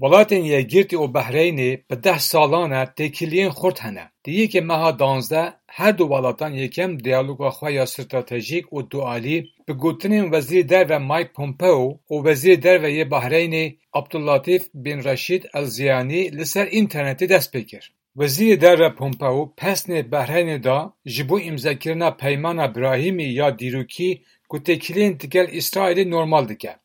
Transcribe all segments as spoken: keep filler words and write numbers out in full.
Welatên Yekgirtî û Behreynê bi deh salan e têkiliyên xurt hene. Di yekê meha duwazdeh her du welatan yekem diyaloga xwe ya stratejîk û dualî bi gotinên Wezîrê Derve Mike Pompeo û Wezîrê Derve yê Behreynê Abdullatîf bin Reşîd El Ziyanî li ser înternetê dest pê kir. Wezîrê Derve Pompeo pesnê Behreynê da ji bo îmzekirina peymana Brahîmî ya dîrokî ku têkiliyên digel Îsraîlê normal dike.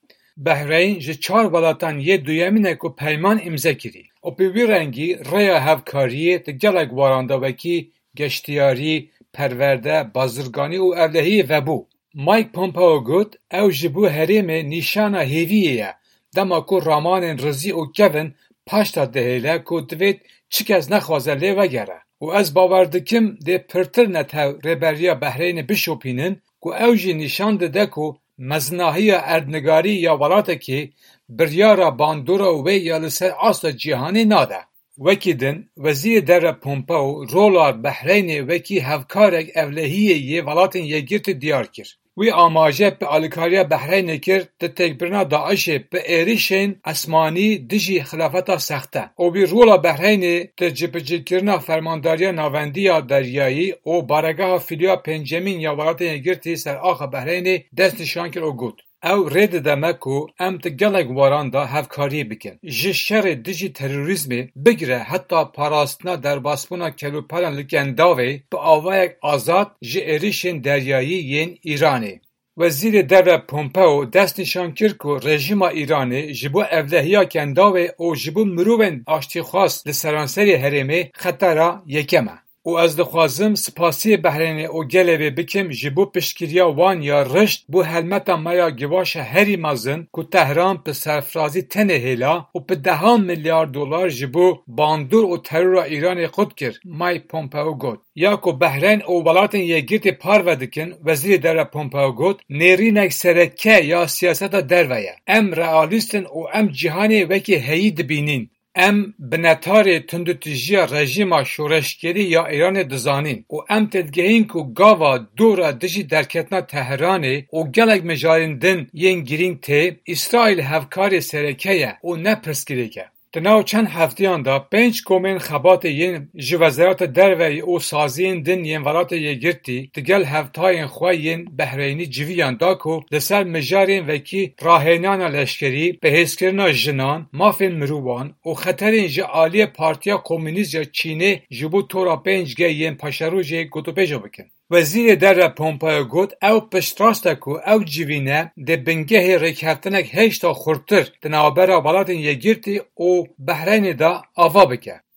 Behreyn ji çar welatan yê duyemîn e ku peyman îmze kirî û bi wî rengî rêya hevkariyê di gelek waran de wekî geştiyarî, perwerde, bazirganî û ewlehiyê vebû. Mike Pompeo got, ew ji bo herêmê nîşana hêviyê ye, dema ku ramanên rizî û kevin paşta dihêle ku divêt çi kes nexwaze lê vegere. Û ez bawer dikim dê pirtir netew rêberiya Behreynê bişopînin ku ew jî nîşan dide ku mezinahiya erdnigarî ya welatekê biryara bandora wê ya li ser asta cîhanê nade. Wekî din, Wezîrê Derve Pompeo rola Behreynê wekî hevkarek ewlehiyê yê Welatên Yekgirtî diyar kir. Wî amaje bi alîkariya Behreynê kir di têkbirina DAIŞê bi êrişên esmanî dijî xilafeta sexte û wî rola Behreynê di cibicîkirina fermandariya navendî ya deryayî û baregeha fîloya pêncemîn ya Welatên Yekgirtî ser axa Behreynê destnîşan kir û got, ew rê dide me ku em di gelek waran de hevkariyê bikin. Ji şerê dijî terorîzmê bigire heta parastina derbasbûna kelûpelan li Kendavê bi awayek azad ji êrişên deryayî yên Îranê. Wezîrê Derve Pompeo destnîşan kir ku rejîma Îranê ji bo ewlehiya Kendavê û ji bo mirovên aştîxwaz li seranserê herêmê xetera yekem e. Û ez dixwazim spasiyê Behreynê û gelê wê bikim ji bo piştgiriya wan ya rişt bo helmeta me ya givaşa herî mezin ku Tehran bi serfirazî tenê hêla û bi dehan milyar dolar ji bo bandor û terora Îranê qut kir, Mike Pompeo got. Ya ku Behreyn û Welatên Yekgirtî parve dikin, Wezîrê Derve Pompeo got, nêrînek sereke ya siyaseta derve ye. Em realîst in û em cîhanê wekî heyî dibînin. Em bi netarê tundûtîjiya rejîma şoreşgerî ya Îranê dizanîn û em têdigehîn ku gava dora dijî derketina Tehranê û gelek mijarên din yên girîng tê, Îsraîl hevkarê sereke ye û ne pirsgirêk e. Di nav çend hefteyan de pênc komên xebatê yên ji Wezareta Derve û saziyên din yên Welatê Yekgirtî digel hevtayên xwe yên Behreynî civiyan da ku li ser mijarên wekî rahênana leşkerî, bihêzkirina jinan, mafên mirovan û xeterên ji aliyê Partiya Komûnîst ya Çînê ji bo tora pênc G yên paşerojê gotûbêja bikin. Wezîrê Derve Pompeo got, ew piştrast e ku ew civîne dê bingehê rêkeftinek hêşta xurttir di navbera Welatên Yekgirtî û Behreynê de ava bike.